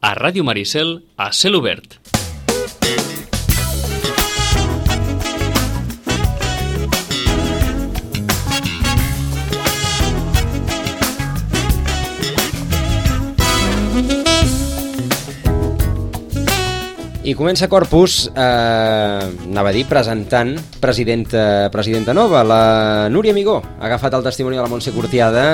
a Ràdio Maricel, a Cel Obert. I comença Corpus, anava a dir, presentant presidenta nova, la Núria Amigó. Ha agafat el testimoni de la Montse Cortiada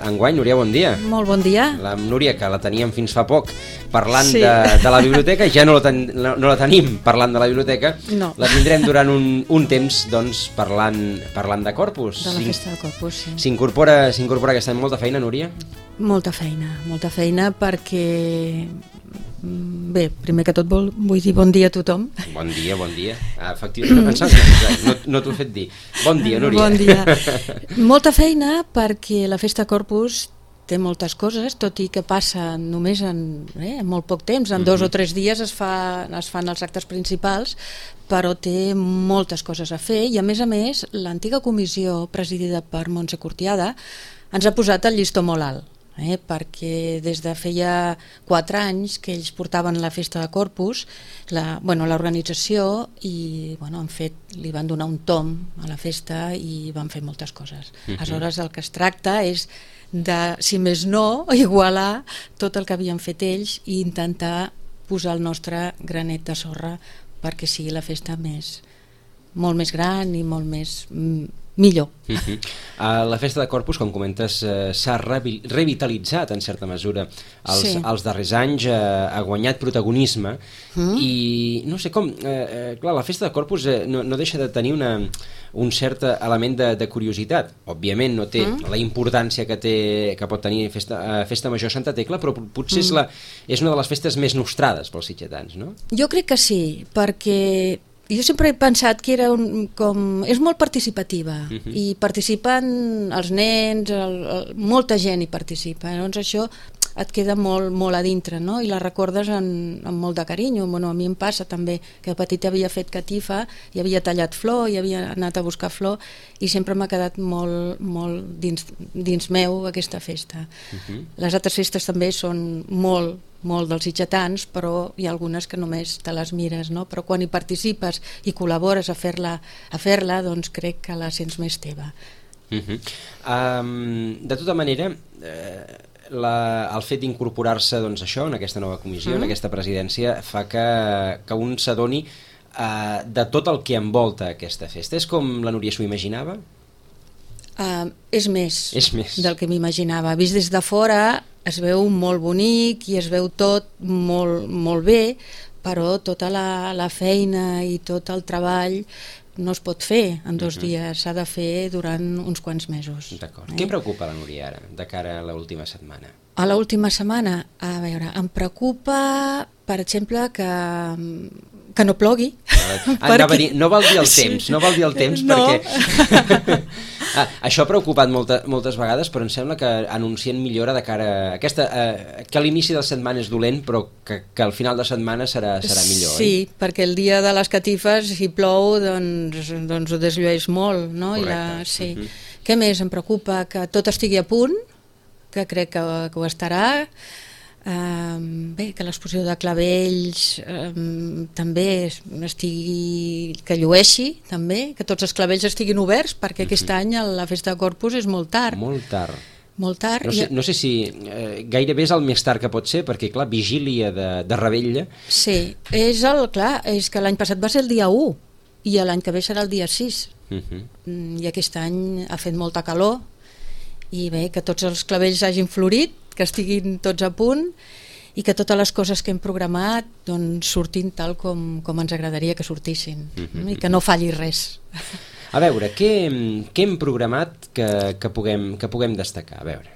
enguany. Núria, bon dia. Molt bon dia. La Núria, que la teníem fins fa poc parlant de la biblioteca, ja no la tenim parlant de la biblioteca. No. La tindrem durant un temps, doncs, parlant de Corpus. De la festa de Corpus, sí. S'incorpora aquest any molta feina, Núria? Molta feina perquè... Bé, primer que tot vull dir bon dia a tothom. Bon dia. Efectivament, no t'ho he fet dir. Bon dia, Núria. Bon dia. Molta feina perquè la festa Corpus té moltes coses, tot i que passa només en molt poc temps, en 2 o 3 dies es fan els actes principals, però té moltes coses a fer i a més l'antiga comissió presidida per Montse Cortiada ens ha posat el llistó molt alt. Perquè des de feia 4 anys que ells portaven la festa de Corpus, l'organització, i li van donar un tom a la festa i van fer moltes coses. Aleshores el que es tracta és de, si més no, igualar tot el que havien fet ells i intentar posar el nostre granet de sorra perquè sigui la festa molt més gran i molt més millor. La festa de Corpus, com comentes, s'ha revitalitzat en certa mesura els darrers anys, ha guanyat protagonisme i no sé com, clar, la festa de Corpus no deixa de tenir un cert element de curiositat. Òbviament no té la importància que pot tenir Festa Major Santa Tecla, però potser és una de les festes més nostrades pels sitgetans, no? Jo crec que sí, perquè jo sempre he pensat que és molt participativa i participen els nens, molta gent hi participa, llavors això et queda molt a dintre, no? I la recordes amb molt de carinyo. A mi em passa també que de petita havia fet catifa i havia tallat flor i havia anat a buscar flor i sempre m'ha quedat molt dins meu aquesta festa. Les altres festes també són molt dels sitgetans, però hi ha algunes que només te les mires, no? Però quan hi participes i col·labores a fer-la, doncs crec que la sents més teva. De tota manera, el fet d'incorporar-se en aquesta nova comissió, en aquesta presidència, fa que un s'adoni de tot el que envolta aquesta festa. És com la Núria s'ho imaginava? És més del que m'imaginava. Vist des de fora es veu molt bonic i es veu tot molt bé, però tota la feina i tot el treball no es pot fer en 2 dies, s'ha de fer durant uns quants mesos. D'acord. Què preocupa la Núria ara, de cara a l'última setmana? A l'última setmana, a veure, em preocupa, per exemple, que no plogui. No val dir el temps, perquè això ha preocupat moltes vegades, però em sembla que anuncien millora de cara a aquesta, que a l'inici de la setmana és dolent, però que al final de setmana serà millor. Sí, perquè el dia de les catifes, si plou, doncs ho desllueix molt, no? Correcte. Què més em preocupa? Que tot estigui a punt, que crec que ho estarà. Que l'exposició de clavells també que llueixi també, que tots els clavells estiguin oberts, perquè aquest any la festa de Corpus és molt tard. No sé si gairebé és el més tard que pot ser, perquè clar, vigília de Revetlla. Sí, és que l'any passat va ser el dia 1 i l'any que ve serà el dia 6 i aquest any ha fet molta calor i bé, que tots els clavells hagin florit, que estiguin tots a punt i que totes les coses que hem programat doncs surtin tal com ens agradaria que sortissin i que no falli res. A veure, què hem programat que puguem destacar? A veure,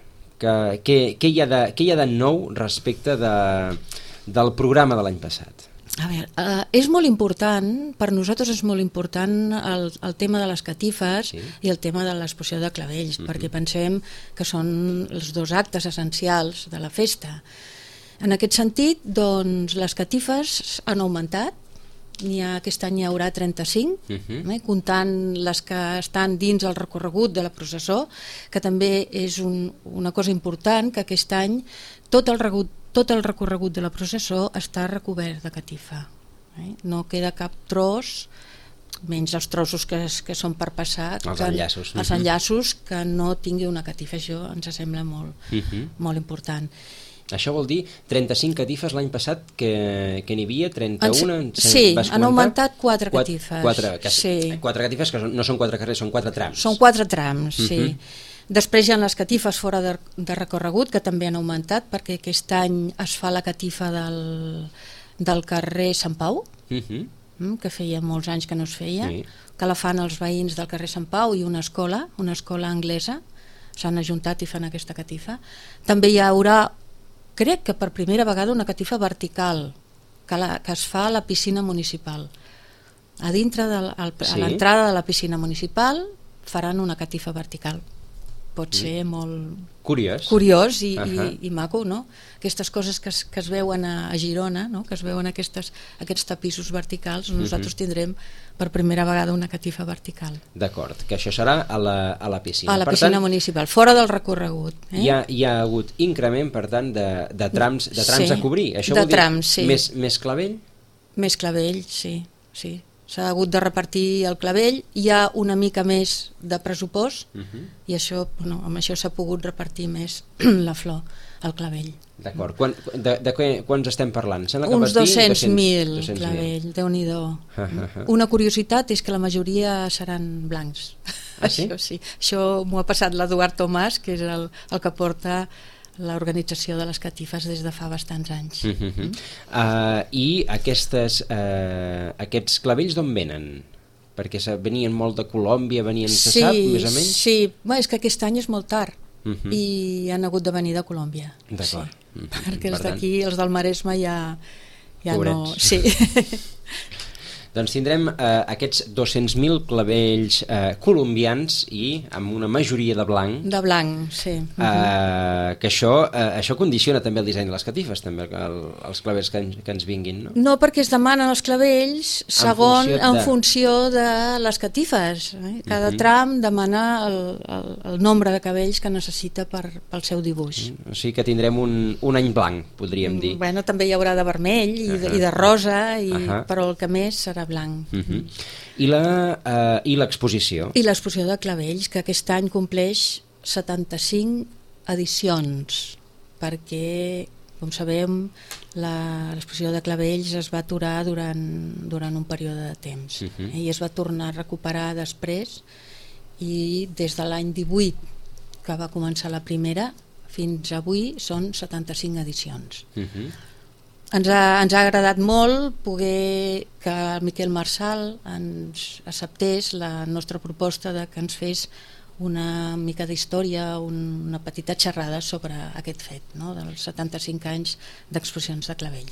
què hi ha de nou respecte del programa de l'any passat? A veure, és molt important, per nosaltres és molt important el tema de les catifes i el tema de l'exposició de clavells, perquè pensem que són els 2 actes essencials de la festa. En aquest sentit, doncs, les catifes han augmentat, aquest any hi haurà 35, comptant les que estan dins el recorregut de la processó, que també és una cosa important, que aquest any tot el tot el recorregut de la processó està recobert de catifa. No queda cap tros, menys els trossos que són per passar, els enllaços que no tingui una catifa. Això ens sembla molt important. Això vol dir 35 catifes l'any passat que n'hi havia, 31? Sí, han augmentat 4 catifes. 4 catifes que no són 4 carrers, són 4 trams. Són 4 trams, sí. Després hi ha les catifes fora de recorregut, que també han augmentat, perquè aquest any es fa la catifa del carrer Sant Pau, que feia molts anys que no es feia, que la fan els veïns del carrer Sant Pau i una escola anglesa, s'han ajuntat i fan aquesta catifa. També hi haurà, crec que per primera vegada, una catifa vertical que es fa a la piscina municipal. A dintre a l'entrada de la piscina municipal faran una catifa vertical. Pot ser molt curiós i maco, no? Aquestes coses que es veuen a Girona, no? Que es veuen aquests tapissos verticals, nosaltres tindrem per primera vegada una catifa vertical. D'acord, que això serà a la piscina. A la piscina municipal, fora del recorregut. Hi ha hagut increment, per tant, de trams a cobrir. Això vol dir més clavell? Més clavell, sí. S'ha hagut de repartir el clavell, hi ha una mica més de pressupost i amb això s'ha pogut repartir més la flor, el clavell. D'acord, de quants estem parlant? Uns 200.000 clavell, Déu-n'hi-do. Una curiositat és que la majoria seran blancs. Això sí, això m'ho ha passat l'Eduard Tomàs, que és el que porta l'organització de les catifes des de fa bastants anys. I aquests clavells d'on venen? Perquè venien molt de Colòmbia, se sap, més o menys? Sí, és que aquest any és molt tard i han hagut de venir de Colòmbia. D'acord. Perquè els d'aquí, els del Maresme, ja no... Sí. Doncs tindrem aquests 200.000 clavells colombians i amb una majoria de blanc. De blanc, sí. Que això condiciona també el disseny de les catifes, també, els clavells que ens vinguin, no? No, perquè es demanen els clavells en funció de les catifes. Cada tram demana el nombre de cabells que necessita pel seu dibuix. O sigui que tindrem un any blanc, podríem dir. Bueno, també hi haurà de vermell i de rosa, però el que més serà blanc. I l'exposició? I l'exposició de clavells, que aquest any compleix 75 edicions, perquè, com sabem, l'exposició de clavells es va aturar durant un període de temps i es va tornar a recuperar després, i des de l'any 18, que va començar la primera, fins avui són 75 edicions. Ens ha agradat molt poder que el Miquel Marçal ens acceptés la nostra proposta de que ens fes una mica d'història, una petita xerrada sobre aquest fet, dels 75 anys d'exposicions de clavells.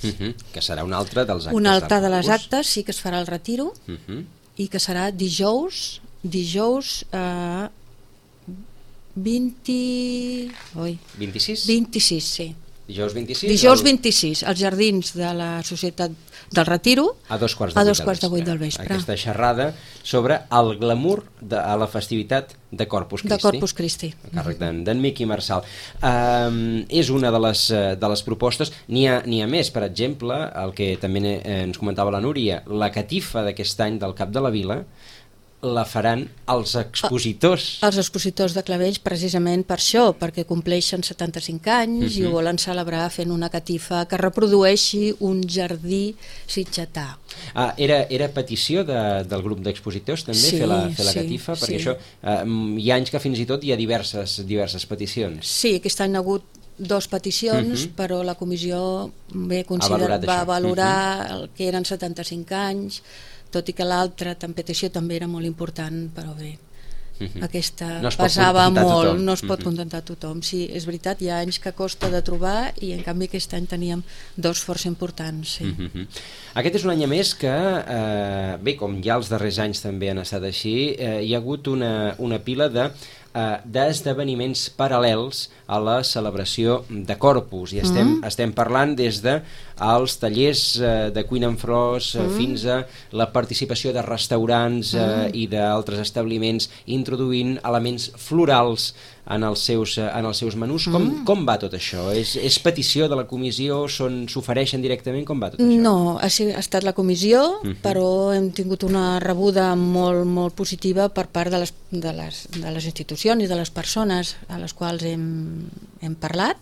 Que serà un altre dels actes. Un altre de les actes, sí, que es farà al Retiro, i que serà dijous 26, sí. Dijous 26, als jardins de la Societat del Retiro, a 2:15 del vespre. Aquesta xerrada sobre el glamour a la festivitat de Corpus Christi. De Corpus Christi. A càrrec d'en Miqui Marçal. És una de les propostes. N'hi ha més, per exemple, el que també ens comentava la Núria, la catifa d'aquest any del Cap de la Vila la faran els expositors. Els expositors de clavells, precisament per això, perquè compleixen 75 anys i ho volen celebrar fent una catifa que reprodueixi un jardí sitgetà. Era petició del grup d'expositors també fer la catifa, perquè això hi ha anys que fins i tot hi ha diverses peticions. Sí, aquest any ha hagut 2 peticions, però la comissió va valorar el que eren 75 anys, tot i que l'altra petició també era molt important, però bé, aquesta pesava molt, no es pot contentar a tothom. Sí, és veritat, hi ha anys que costa de trobar i en canvi aquest any teníem 2 força importants. Aquest és un any a més que, bé, com ja els darrers anys també han estat així, hi ha hagut una pila d'esdeveniments paral·lels a la celebració de Corpus, i estem parlant des de als tallers de cuina en flors, fins a la participació de restaurants i d'altres establiments introduint elements florals en els seus menús. Com va tot això? És petició de la comissió? S'ofereixen directament? Com va tot això? No, ha estat la comissió, però hem tingut una rebuda molt, molt positiva per part de les institucions i de les persones a les quals hem parlat.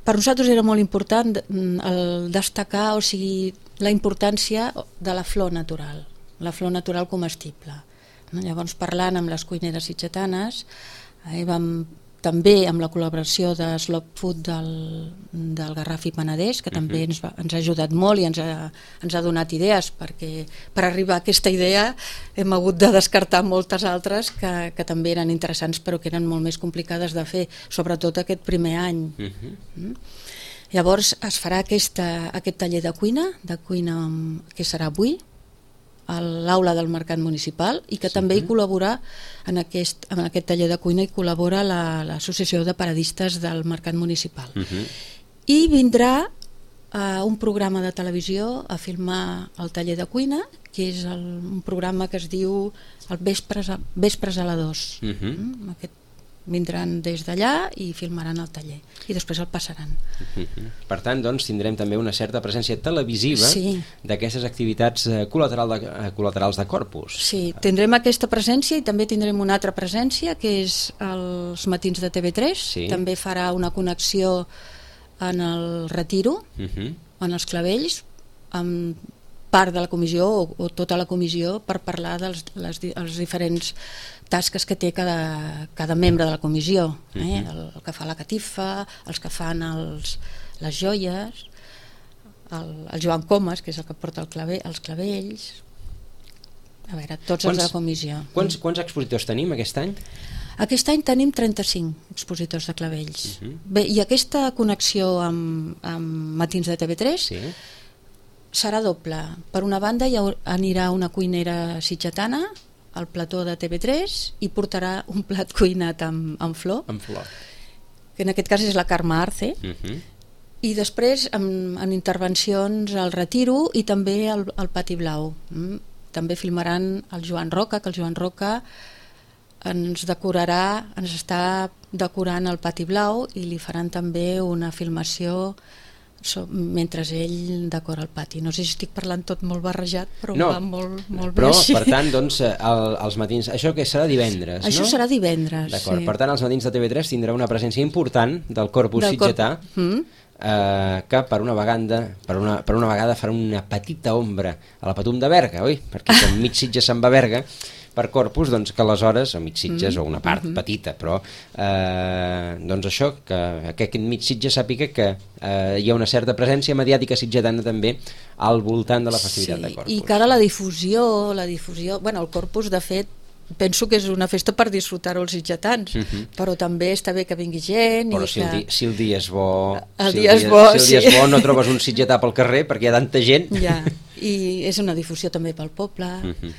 Per nosaltres era molt important el destacar, o sigui, la importància de la flor natural comestible. Llavors, parlant amb les cuineres sitgetanes, vam també amb la col·laboració de Slow Food del Garraf i Penedès, que també ens ha ajudat molt i ens ha donat idees, perquè per arribar a aquesta idea hem hagut de descartar moltes altres que també eren interessants però que eren molt més complicades de fer, sobretot aquest primer any. Llavors es farà aquest taller de cuina que serà avui a l'aula del Mercat Municipal i que també hi col·labora en aquest taller de cuina hi col·labora l'Associació de Paradistes del Mercat Municipal. I vindrà un programa de televisió a filmar el taller de cuina, que és un programa que es diu el Vespres a la 2. Vindran des d'allà i filmaran el taller i després el passaran. Per tant, doncs, tindrem també una certa presència televisiva d'aquestes activitats col·laterals de Corpus. Sí, tindrem aquesta presència i també tindrem una altra presència que és els matins de TV3. També farà una connexió en el Retiro, en els Clavells, amb part de la comissió o tota la comissió per parlar dels diferents tasques que té cada membre de la comissió, el que fa la catifa, els que fan les joies, el Joan Comas, que és el que porta els clavells, a veure, tots els de la comissió. Quants expositors tenim aquest any? Aquest any tenim 35 expositors de clavells. Bé, i aquesta connexió amb Matins de TV3 serà doble. Per una banda hi anirà una cuinera sitgetana al plató de TV3 i portarà un plat cuinat amb flor, que en aquest cas és la Carme Arce, i després en intervencions al Retiro i també al Pati Blau. També filmaran el Joan Roca, que el Joan Roca ens està decorant el Pati Blau i li faran també una filmació mentre ell decora el pati. No sé si estic parlant tot molt barrejat, però va molt bé així. Però, per tant, doncs, els matins... Això que serà divendres, no? Això serà divendres, d'acord. Per tant, els matins de TV3 tindrà una presència important del Corpus sitgetà, que per una vegada farà una petita ombra a la Patum de Berga, oi? Perquè com mig Sitges se'n va a Berga, per Corpus, doncs que aleshores, o mig Sitges, o una part petita, però doncs això, que aquest mig Sitges sàpiga que hi ha una certa presència mediàtica sitgetana també al voltant de la festivitat de Corpus. I que ara la difusió, bueno, el Corpus, de fet, penso que és una festa per disfrutar-ho els sitgetans, però també està bé que vingui gent. Però si el dia és bo, no trobes un sitgetà pel carrer perquè hi ha tanta gent. I és una difusió també pel poble,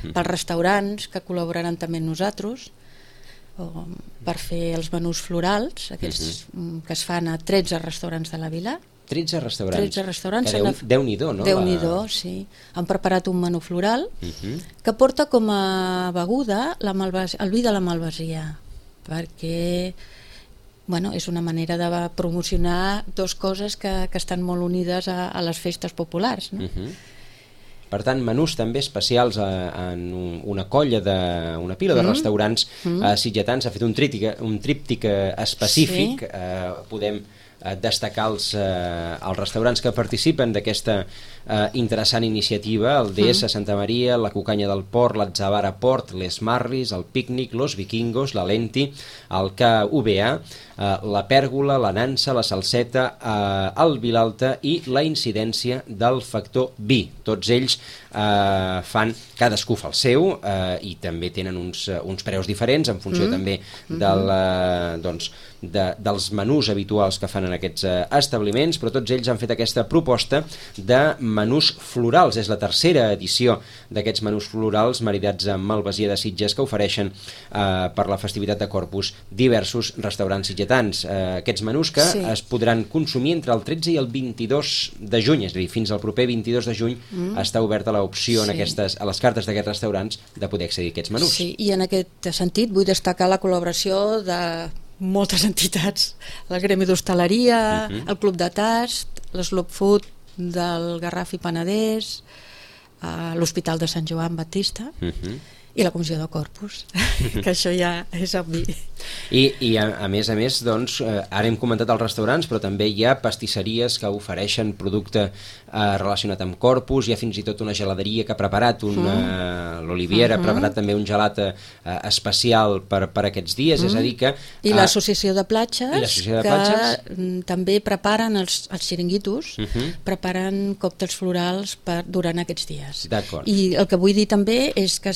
pels restaurants que col·laboraran també amb nosaltres per fer els menús florals, aquests que es fan a 13 restaurants de la vila. 13 restaurants. Déu-n'hi-do, no? Déu-n'hi-do, sí. Han preparat un menú floral que porta com a beguda el vi de la Malvasia, perquè és una manera de promocionar dues coses que estan molt unides a les festes populars, no? Per tant, menús també especials en una pila de restaurants sitgetans. Ha fet un tríptic específic. Podem destacar els restaurants que participen d'aquesta interessant iniciativa: el DS Santa Maria, la Cucanya del Port, l'Atzavara Port, les Marris, el Pícnic, los Vikingos, la Lenti, el KVA, la Pèrgola, la Nansa, la Salseta, el Vilalta i la Incidència del Factor Vi. Tots ells cadascú fa el seu i també tenen uns preus diferents en funció també dels menús habituals que fan en aquests establiments, però tots ells han fet aquesta proposta de menús florals. És la tercera edició d'aquests menús florals maridats amb Malvasia de Sitges que ofereixen per la festivitat de Corpus diversos restaurants sitgetans. Aquests menús que es podran consumir entre el 13 i el 22 de juny, és a dir, fins al proper 22 de juny està oberta l'opció a les cartes d'aquests restaurants de poder accedir a aquests menús. Sí, i en aquest sentit vull destacar la col·laboració de moltes entitats, el Gremi d'Hostaleria, el Club de Tast, l'Slow Food del Garraf i Penedès, l'Hospital de Sant Joan Baptista i la Comissió de Corpus, que això ja és obvi. I a més, doncs, ara hem comentat els restaurants, però també hi ha pastisseries que ofereixen producte relacionat amb Corpus, hi ha fins i tot una geladeria que ha preparat, l'Oliviera ha preparat també un gelat especial per aquests dies, és a dir que... I l'Associació de Platges, que també preparen els xiringuitos, preparen còctels florals durant aquests dies. D'acord. I el que vull dir també és que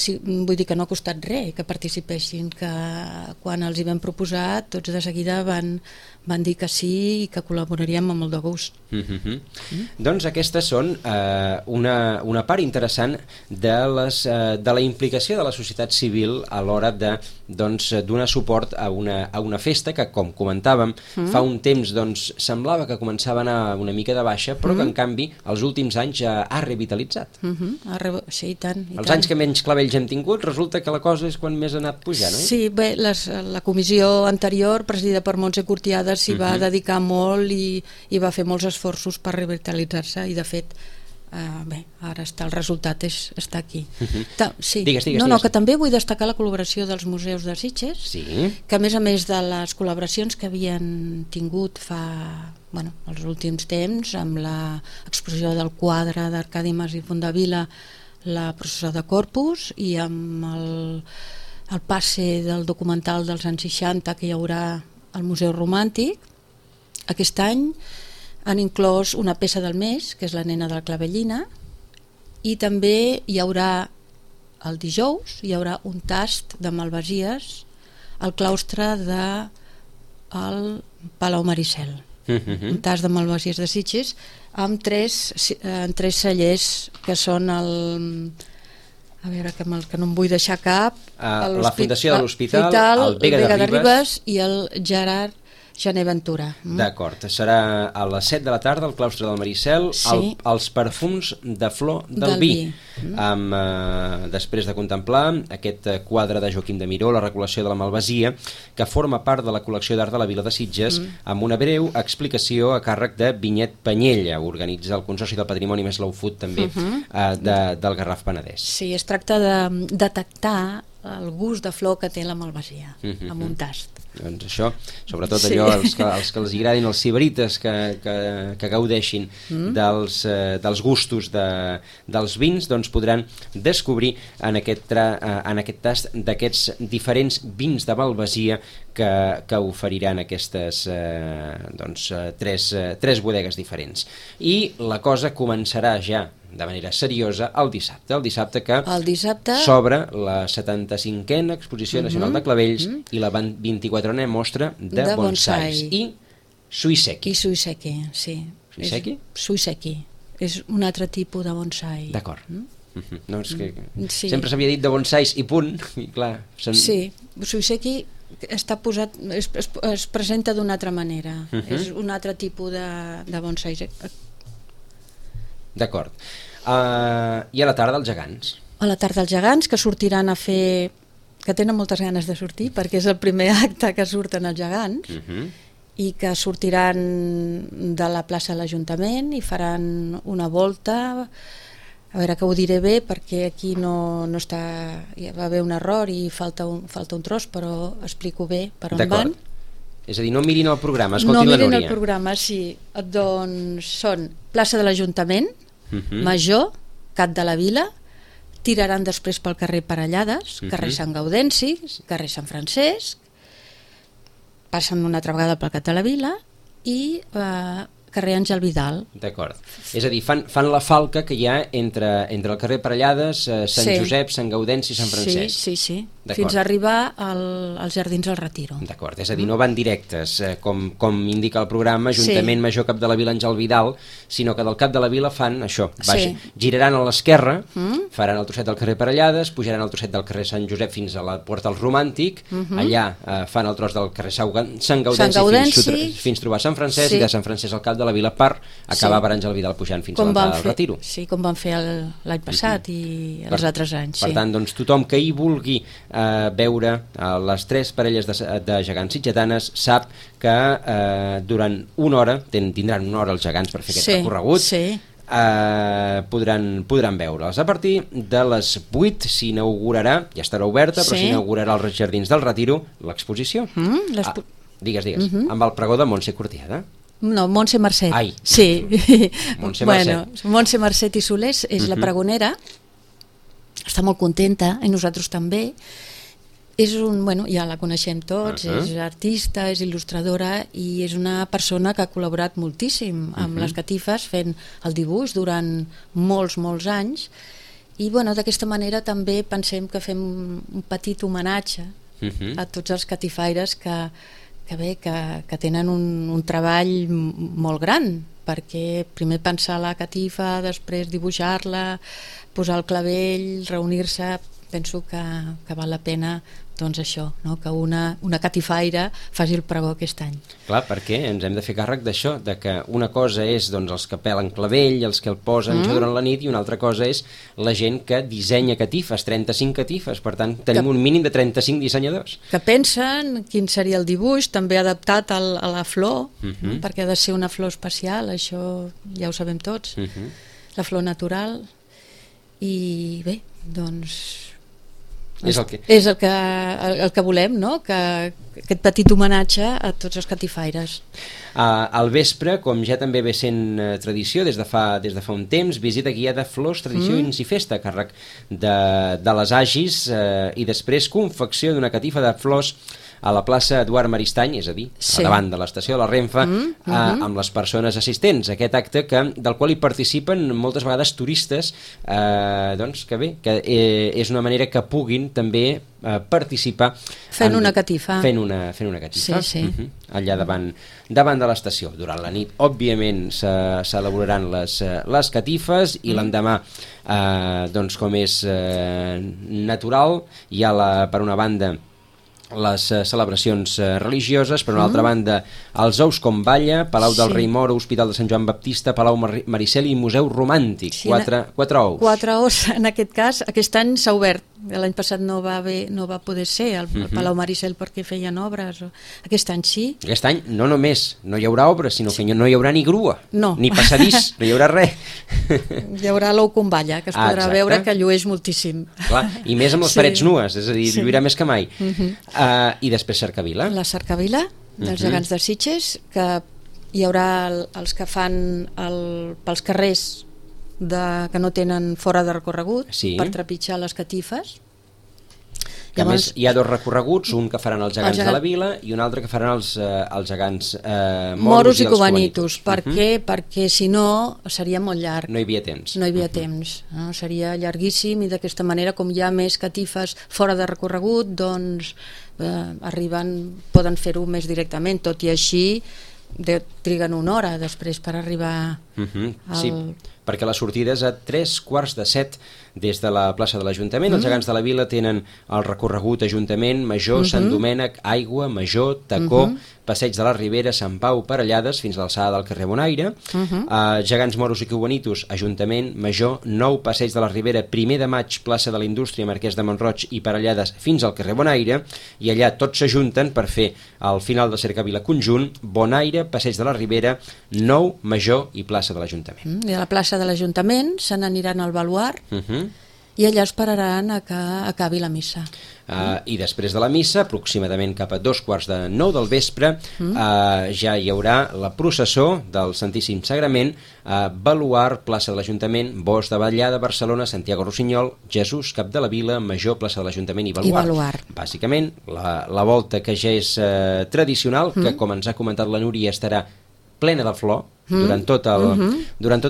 vull dir que no ha costat res que participessin, que quan els hi vam proposar tots de seguida van dir que sí i que col·laboraríem amb molt de gust. Doncs aquestes són una part interessant de la implicació de la societat civil a l'hora de donar suport a una festa que, com comentàvem, fa un temps semblava que començava a anar una mica de baixa, però que en canvi els últims anys ha revitalitzat. Sí, i tant. Els anys que menys clavells hem tingut, resulta que la cosa és quan més ha anat pujant, oi? Sí, bé, la comissió anterior, presidida per Montse Cortiada, s'hi va dedicar molt i va fer molts esforços per revitalitzar-se i de fet ara el resultat està aquí. Digues. Que també vull destacar la col·laboració dels museus de Sitges, que a més de les col·laboracions que havien tingut els últims temps amb l'exposició del quadre d'Arcadi Mas i Fondavila, la processó de Corpus, i amb el passe del documental dels anys 60 que hi haurà al Museu Romàntic. Aquest any han inclòs una peça del mes, que és la nena de la Clavellina, i també hi haurà el dijous un tast de malvasies al claustre del Palau Maricel. Un tast de malvasies de Sitges amb tres cellers que són a veure, que no em vull deixar cap, la Fundació de l'Hospital, el Vega de Ribes i el Gerard Gené Ventura. D'acord, serà a les 7 de la tarda al claustre del Maricel, els perfums de flor del vi. Després de contemplar aquest quadre de Joaquim de Miró, la recol·lecció de la Malvasia, que forma part de la col·lecció d'art de la Vila de Sitges, amb una breu explicació a càrrec de Vinyet Panyella, organitza el Consorci del Patrimoni més Slow Food també del Garraf Penedès. Sí, es tracta de detectar el gust de flor que té la Malvasia amb un tast. Doncs això, sobretot allò, els que els agradin els sibarites que gaudeixin dels gustos dels vins, doncs podran descobrir en aquest tast d'aquests diferents vins de Malvasia que oferiran aquestes tres bodegues diferents. I la cosa començarà ja de manera seriosa el dissabte que s'obre la 75a Exposició Nacional de Clavells i la 24a Mostra de Bonsais i Suiseki. Sí. Suiseki és un altre tipus de bonsai. D'acord. No, és que sempre s'havia dit de bonsais i punt, i clar... Sí, Suiseki està posat, es presenta d'una altra manera, és un altre tipus de bonsais. D'acord. I a la tarda els gegants? A la tarda els gegants, que sortiran a fer... que tenen moltes ganes de sortir, perquè és el primer acte que surten els gegants, i que sortiran de la plaça de l'Ajuntament i faran una volta... A veure, que ho diré bé, perquè aquí no està... Hi va haver un error i falta un tros, però explico bé per on van. És a dir, no mirin el programa, escoltin la Núria. No mirin el programa, sí. Doncs són plaça de l'Ajuntament, Major, Cat de la Vila, tiraran després pel carrer Parellades, carrer Sant Gaudenci, carrer Sant Francesc, passen una altra vegada pel Cat de la Vila i carrer Àngel Vidal. D'acord. És a dir, fan la falca que hi ha entre el carrer Parellades, Sant Josep, Sant Gaudenci i Sant Francesc. Sí. fins a arribar als Jardins del Retiro. D'acord, és a dir, no van directes, com indica el programa, Ajuntament Major Cap de la Vila Àngel Vidal, sinó que del Cap de la Vila fan això, giraran a l'esquerra, faran el trosset del carrer Parellades, pujaran el trosset del carrer Sant Josep fins a la Porta del Romàntic, allà fan el tros del carrer Sant Gaudenci fins trobar Sant Francesc, i de Sant Francesc al Cap de la Vila per acabar per Àngel Vidal pujant fins a l'entrada del Retiro. Sí, com van fer l'any passat i els altres anys. Per tant, doncs, tothom que hi vulgui veure les 3 parelles de gegants sitgetanes sap que durant una hora, tindran una hora els gegants per fer aquest recorregut, podran veure'ls. A partir de les 8 s'inaugurarà, ja estarà oberta, però s'inaugurarà als Jardins del Retiro l'exposició. Digues, amb el pregó de Montse Cortiada. No, Montse Marcet. Ai. Sí. Montse Marcet. Montse Marcet i Solés és la pregonera, està molt contenta, i nosaltres també. Ja la coneixem tots, és artista, és il·lustradora i és una persona que ha col·laborat moltíssim amb les catifes fent el dibuix durant molts anys, i d'aquesta manera també pensem que fem un petit homenatge a tots els catifaires que tenen un treball molt gran, perquè primer pensar la catifa, després dibuixar-la, posar el clavell, reunir-se. Penso que val la pena, doncs això, que una catifaire faci el pregó aquest any. Clar, perquè ens hem de fer càrrec d'això, de que una cosa és els que pelen clavell, els que el posen durant la nit, i una altra cosa és la gent que dissenya catifes, 35 catifes, per tant tenim un mínim de 35 dissenyadors. Que pensen quin seria el dibuix, també adaptat a la flor, perquè ha de ser una flor especial, això ja ho sabem tots, la flor natural, i bé, doncs és el que volem, no? Aquest petit homenatge a tots els catifaires. Al vespre, com ja també ve sent tradició des de fa un temps, visita guiada Flors, Tradicions i Festa, a càrrec de les Agis, i després confecció d'una catifa de flors a la plaça Eduard Maristany, és a dir, davant de l'estació de la Renfa, amb les persones assistents. Aquest acte del qual hi participen moltes vegades turistes, que és una manera que puguin també participar fent una catifa allà davant de l'estació. Durant la nit, òbviament, s'elaboraran les catifes, i l'endemà, com és natural, hi ha per una banda les celebracions religioses, per una altra banda els Ous com Balla, Palau del Rei Moro, Hospital de Sant Joan Baptista, Palau Maricel i Museu Romàntic. 4 ous. 4 ous, en aquest cas. Aquest any s'ha obert. L'any passat no va poder ser el Palau Maricel perquè feien obres. Aquest any sí. Aquest any no només no hi haurà obres, sinó que no hi haurà ni grua, ni passadís, no hi haurà res. Hi haurà l'ou com Balla, que es podrà veure, que llueix moltíssim. Clar, i més amb les parets nues, és a dir, lluirà més que mai. I després Cercavila. La Cercavila, dels gegants de Sitges, que hi haurà els que fan pels carrers que no tenen fora de recorregut, per trepitjar les catifes. A més, hi ha 2 recorreguts, un que faran els gegants de la vila i un altre que faran els gegants moros i cubanitos. Per què? Perquè si no seria molt llarg. No hi havia temps. Seria llarguíssim, i d'aquesta manera, com hi ha més catifes fora de recorregut, doncs poden fer-ho més directament, tot i així triguen una hora després per arribar Sí, perquè la sortida és a 7:15 des de la plaça de l'Ajuntament. Els gegants de la vila tenen el recorregut Ajuntament, Major, Sant Domènec, Aigua, Major, Tacó, Passeig de la Ribera, Sant Pau, Parellades, fins a l'alçada del carrer Bonaire. Gegants moros i cubanitos, Ajuntament, Major, Nou, Passeig de la Ribera, 1 de maig, plaça de la Indústria, Marquès de Montroig i Parellades, fins al carrer Bonaire, i allà tots s'ajunten per fer al final de Cercavila conjunt, Bonaire, Passeig de la Ribera, Nou, Major i plaça de l'Ajuntament. I a la plaça de l'Ajuntament se n'aniran al Baluard, i allà esperaran a que acabi la missa. I després de la missa, aproximadament cap a 8:45 del vespre, ja hi haurà la processó del Santíssim Sagrament, Baluard, plaça de l'Ajuntament, Bosc de Batllà, Barcelona, Santiago Rossinyol, Jesús, Cap de la Vila, Major, plaça de l'Ajuntament i Baluard. Bàsicament, la volta que ja és tradicional, que com ens ha comentat la Núria estarà plena de flor, durant tot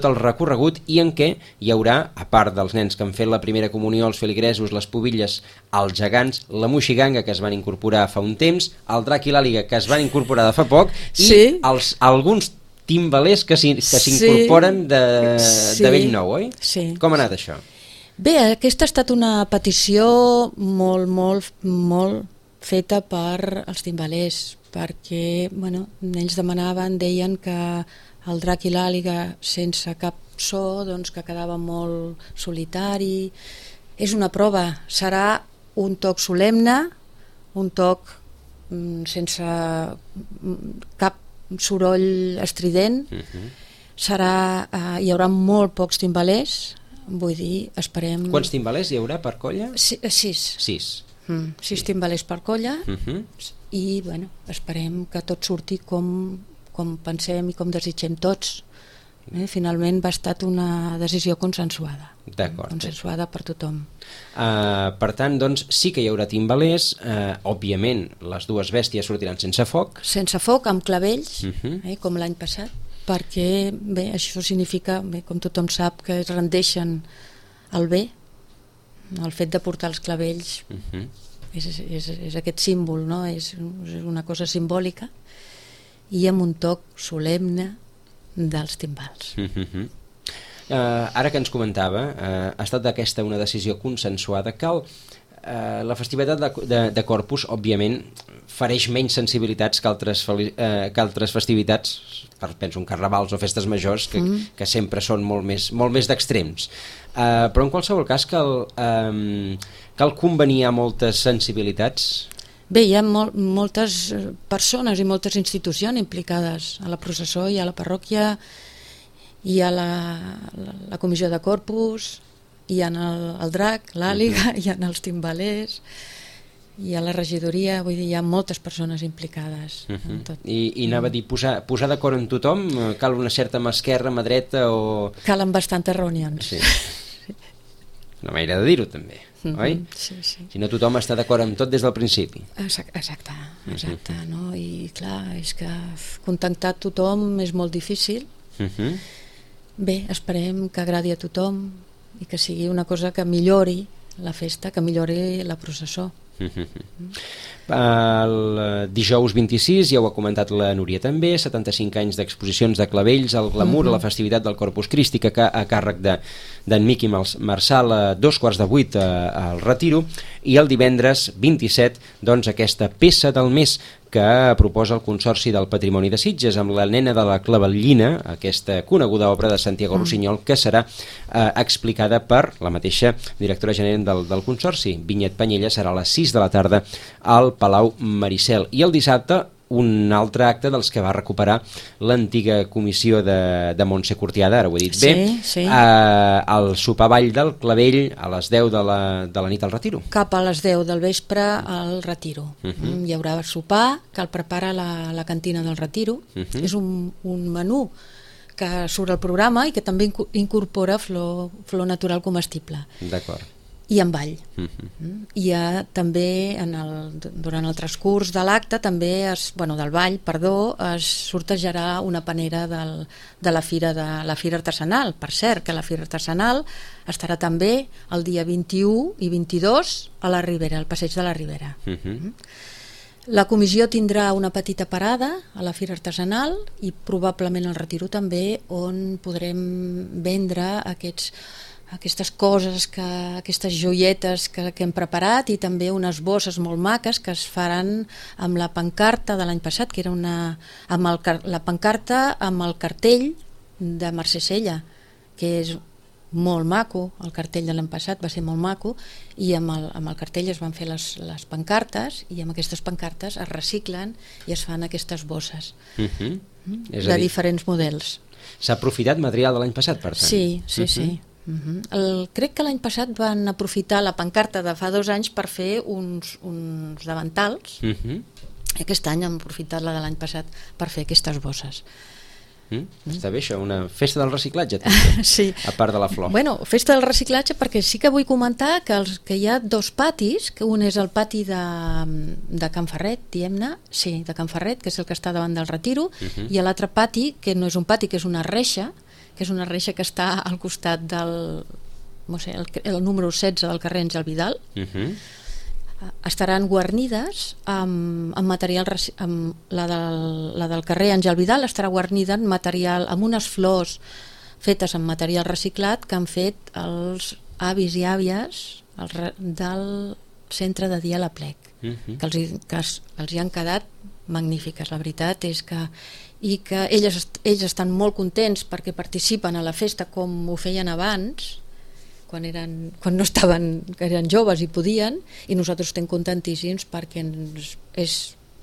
el recorregut, i en què hi haurà, a part dels nens que han fet la primera comunió, els feligresos, les pubilles, els gegants, la moixiganga, que es van incorporar fa un temps, el drac i l'àliga, que es van incorporar de fa poc, i alguns timbalers que s'incorporen de bell nou, oi? Sí. Com ha anat això? Bé, aquesta ha estat una petició molt feta per als timbalers, perquè ells demanaven, deien que el drac i l'àliga sense cap so, doncs que quedava molt solitari. És una prova, serà un toc solemne, un toc sense cap soroll estrident, hi haurà molt pocs timbalers, vull dir, esperem... Quants timbalers hi haurà per colla? 6. 6 timbalers per colla, i esperem que tot surti com pensem i com desitgem tots. Finalment va estar una decisió consensuada. D'acord. Consensuada per tothom. Per tant, doncs, sí que hi haurà timbalers, òbviament les dues bèsties sortiran sense foc. Sense foc, amb clavells, com l'any passat, perquè bé, això significa, com tothom sap, que es rendeixen al bé. El fet de portar els clavells és aquest símbol, no? És una cosa simbòlica, i amb un toc solemne dels timbals. Ara que ens comentava, ha estat aquesta una decisió consensuada. La festivitat de Corpus, òbviament, fereix menys sensibilitats que altres festivitats, penso en carnavals o festes majors, que sempre són molt més d'extrems. Però en qualsevol cas cal convenir a moltes sensibilitats. Bé, hi ha moltes persones i moltes institucions implicades a la processó, i a la parròquia, i a la comissió de Corpus, hi ha el drac, l'àliga, hi ha els timbalers, hi ha la regidoria, vull dir, hi ha moltes persones implicades. I anava a dir, posar d'acord amb tothom, cal una certa mà esquerra, mà dreta o... Calen bastantes reunions. Sí. Una manera de dir-ho també, oi? Sí. Si no, tothom està d'acord amb tot des del principi. Exacte, no? I clar, és que contentar tothom és molt difícil. Bé, esperem que agradi a tothom i que sigui una cosa que millori la festa, que millori la processó. El dijous 26, ja ho ha comentat la Núria també, 75 anys d'exposicions de clavells, el glamour, la festivitat del Corpus Christi, que a càrrec d'en Miqui Marçal a 7:45 al Retiro, i el divendres 27, doncs, aquesta peça del mes que proposa el Consorci del Patrimoni de Sitges, amb la nena de la Clavellina, aquesta coneguda obra de Santiago Rossinyol, que serà explicada per la mateixa directora general del Consorci. Vinyet Panyella, serà a les 6 de la tarda al Palau Maricel. I el dissabte, un altre acte dels que va recuperar l'antiga comissió de Montse Cortiada, ara ho he dit bé, el sopar ball del Clavell a les 10 de la nit al Retiro. Cap a les 10 del vespre al Retiro. Hi haurà sopar que el prepara la cantina del Retiro. És un menú que surt al programa i que també incorpora flor natural comestible. D'acord. I en ball. Hi ha també, durant el transcurs de l'acte, també del ball, es sortejarà una panera de la fira artesanal. Per cert, que la fira artesanal estarà també el dia 21 i 22 a la Ribera, al passeig de la Ribera. La comissió tindrà una petita parada a la fira artesanal i probablement al Retiro també, on podrem vendre aquestes coses, aquestes joietes que hem preparat, i també unes bosses molt maques que es faran amb la pancarta de l'any passat, que era la pancarta amb el cartell de Mercè Sella, que és molt maco. El cartell de l'any passat va ser molt maco, i amb el cartell es van fer les pancartes, i amb aquestes pancartes es reciclen i es fan aquestes bosses de diferents models. S'ha aprofitat material de l'any passat, per tant? Sí. Crec que l'any passat van aprofitar la pancarta de fa 2 anys per fer uns davantals. Aquest any han aprofitat la de l'any passat per fer aquestes bosses. Està bé això, una festa del reciclatge sí. a part de la flor. Bueno, festa del reciclatge, perquè sí que vull comentar que hi ha dos patis, que un és el pati de Can Ferret, diguem-ne, sí, de Can Ferret, que és el que està davant del Retiro, i l'altre pati, que no és un pati, que és una reixa, que està al costat del, no sé, el número 16 del carrer Àngel Vidal. Estaran guarnides amb material, la del carrer Àngel Vidal estarà guarnida amb material, amb unes flors fetes amb material reciclat que han fet els avis i àvies del centre de dia a la Plec, que els hi han quedat magnífiques. La veritat és que ells estan molt contents perquè participen a la festa com ho feien abans, quan no estaven, que eren joves i podien, i nosaltres estem contentíssims perquè és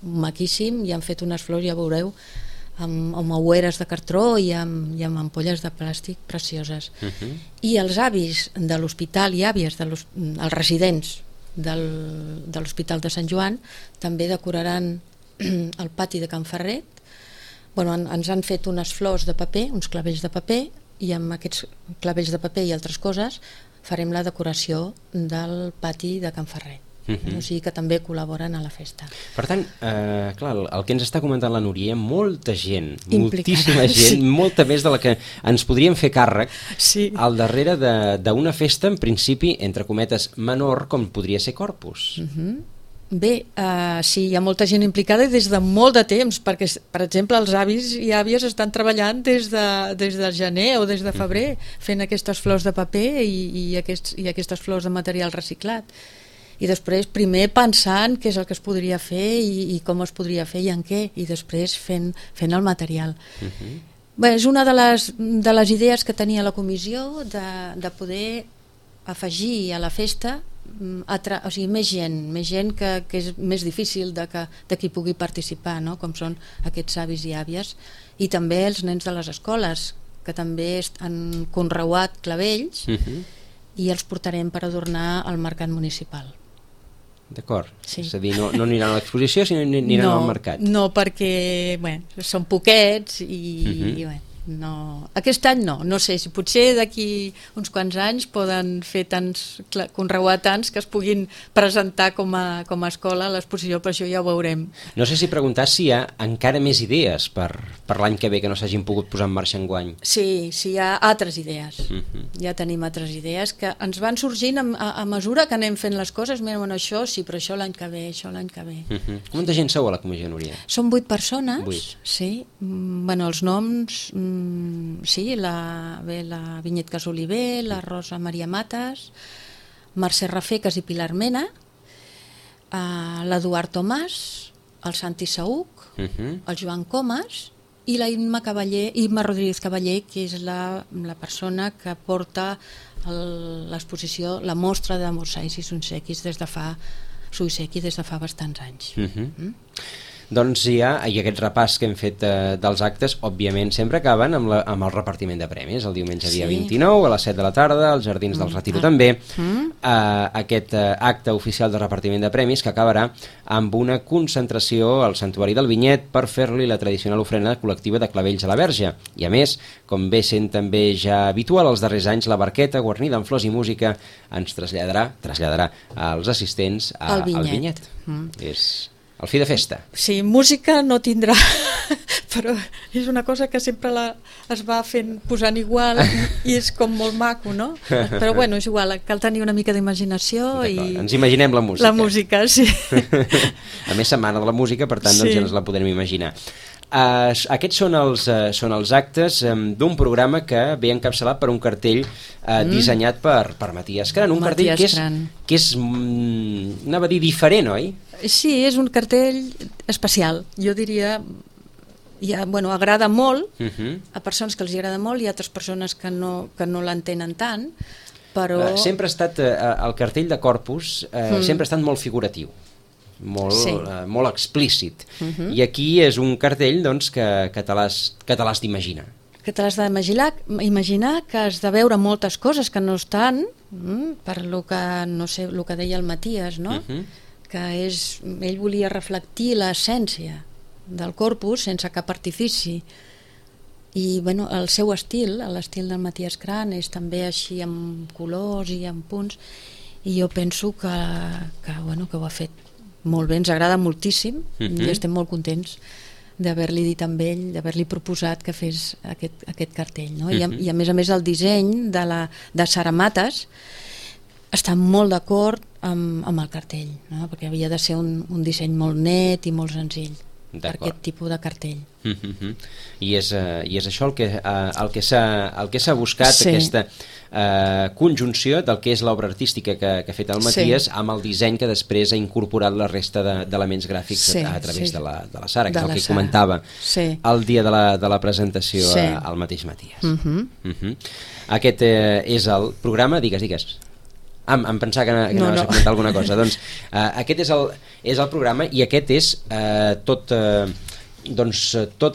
maquíssim i han fet unes flors, ja veureu, amb aueres de cartró i amb ampolles de plàstic precioses. I els avis de l'hospital i àvies, els residents de l'Hospital de Sant Joan, també decoraran el pati de Can Ferret. Bueno, ens han fet unes flors de paper, uns clavells de paper, i amb aquests clavells de paper i altres coses farem la decoració del pati de Can Ferret. O sigui que també col·laboren a la festa. Per tant, clar, el que ens està comentant la Núria, hi ha molta gent, implicada, moltíssima gent, molta més de la que ens podríem fer càrrec al darrere d'una festa, en principi, entre cometes, menor, com podria ser Corpus. Bé, sí, hi ha molta gent implicada i des de molt de temps, perquè, per exemple, els avis i àvies estan treballant des del gener o des de febrer fent aquestes flors de paper i aquestes flors de material reciclat. I després, primer pensant què és el que es podria fer i com es podria fer i en què, i després fent el material. Bé, és una de les idees que tenia la comissió de poder afegir a la festa o sigui, més gent que és més difícil de qui pugui participar, no? Com són aquests avis i àvies, i també els nens de les escoles, que també han conreuat clavells i els portarem per adornar el mercat municipal. D'acord, sí. És a dir, no aniran a l'exposició, sinó aniran al mercat. No, perquè són poquets i no. Aquest any no sé, si potser d'aquí uns quants anys poden fer conreuar tants que es puguin presentar com a escola a l'exposició, per això ja ho veurem. No sé si preguntar si hi ha encara més idees per l'any que ve que no s'hagin pogut posar en marxa enguany. Sí, hi ha altres idees. Ja tenim altres idees que ens van sorgint a mesura que anem fent les coses. Mira, això sí, però això l'any que ve, Quanta gent sou a la comissió, Núria? Som 8 persones. 8. Sí. Bueno, els noms... Sí, la Vinyet Casoliver, la Rosa Maria Matas, Mercè Rafecas i Pilar Mena, l'Eduard Tomàs, el Santi Saúc, el Joan Comas i la Imma Rodríguez Cavaller, que és la persona que porta l'exposició, la mostra de mosaics i sunsequis des de fa bastants anys. Doncs ja, i aquest repàs que hem fet dels actes, òbviament sempre acaben amb el repartiment de premis, el diumenge dia 29 a les 7 de la tarda, als Jardins del Retiro també, aquest acte oficial de repartiment de premis que acabarà amb una concentració al Santuari del Vinyet per fer-li la tradicional ofrena col·lectiva de clavells a la Verge. I a més, com ve sent també ja habitual els darrers anys, la barqueta guarnida amb flors i música ens traslladarà als assistents al Vinyet. És el fi de festa. Sí, música no tindrà, però és una cosa que sempre es va posant igual i és com molt maco, no? Però bueno, és igual, cal tenir una mica d'imaginació i... Ens imaginem la música. La música, sí. A més, setmana de la música, per tant, doncs ja ens la podrem imaginar. Aquests són els actes d'un programa que ve encapçalat per un cartell dissenyat per Matías Cran, un cartell que és anava a dir diferent, oi? Sí, és un cartell especial, jo diria, agrada molt a persones que els agrada molt i a altres persones que no l'entenen tant, però... Sempre ha estat, el cartell de Corpus sempre ha estat molt figuratiu, molt explícit, i aquí és un cartell doncs, que te l'has d'imaginar. Que te l'has d'imaginar, que has de veure moltes coses que no estan, per lo que, no sé, el que deia el Matías, no? Que ell volia reflectir l'essència del Corpus sense cap artifici, I bueno, el seu estil, l'estil del Matías Kran, és també així amb colors i amb punts, i jo penso que ho ha fet molt bé, ens agrada moltíssim i estem molt contents d'haver-li dit amb ell, d'haver-li proposat que fes aquest cartell, no? I a més el disseny de Sara Matas està molt d'acord amb el cartell, no? Perquè havia de ser un disseny molt net i molt senzill per aquest tipus de cartell. I és això el que s'ha buscat, aquesta conjunció del que és l'obra artística que ha fet el Matías amb el disseny que després ha incorporat la resta d'elements gràfics a través de la Sara, que és el que comentava el dia de la presentació al mateix Matías. Aquest és el programa, digues. Em pensava que anaves a comentar alguna cosa. Doncs aquest és el programa, i aquest és tot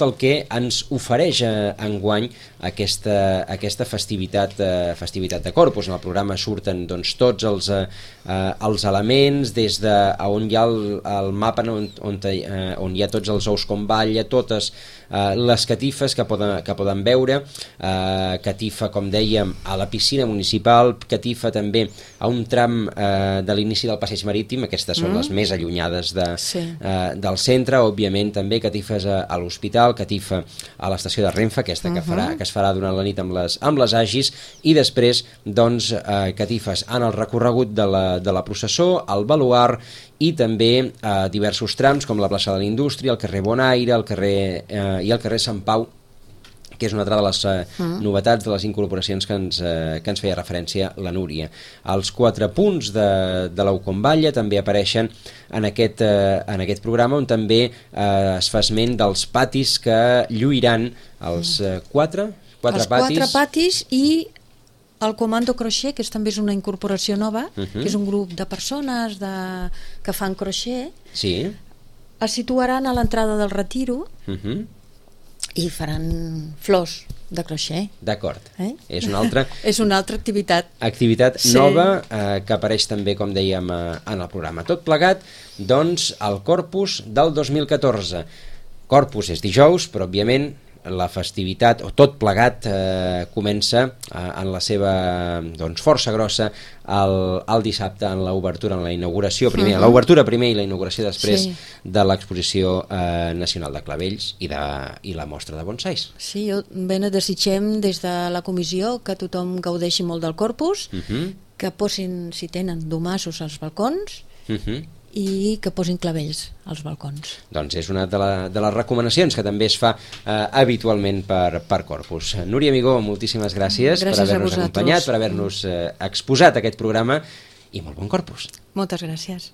el que ens ofereix enguany aquesta festivitat de Corpus. En el programa surten tots els elements, des d'on hi ha el mapa on hi ha tots els ous com balla, totes les catifes que poden veure, catifa, com dèiem, a la piscina municipal, catifa també a un tram de l'inici del passeig marítim, aquestes són les més allunyades del centre, òbviament també catifes a l'hospital, catifa a l'estació de Renfe, aquesta que es farà durant la nit amb les agis, i després catifes en el recorregut de la processó, al baluard, i també diversos trams com la plaça de la Indústria, el carrer Bonaire, i el carrer Sant Pau, que és una altra de les novetats, de les incorporacions que ens feia referència la Núria. Els 4 punts de l'Aucomballa també apareixen en aquest programa, on també es fa esment dels patis que lluiran els 4 patis i el Comando Crochet, que també és una incorporació nova, que és un grup de persones que fan crochet, es situaran a l'entrada del Retiro i faran flors de crochet. D'acord. És una altra activitat nova que apareix també, com dèiem, en el programa. Tot plegat, doncs, al Corpus del 2014. Corpus és dijous, però òbviament la festivitat, o tot plegat, comença en la seva força grossa el dissabte, en l'obertura, en la inauguració primer, l'obertura primer i la inauguració després de l'exposició nacional de clavells i la mostra de bonsais. Sí, desitgem des de la comissió que tothom gaudeixi molt del Corpus, que posin, si tenen, domassos als balcons, i que posin clavells als balcons. Doncs és una de les recomanacions que també es fa habitualment per Corpus. Núria Amigó, moltíssimes gràcies per haver-nos acompanyat, per haver-nos exposat aquest programa, i molt bon Corpus. Moltes gràcies.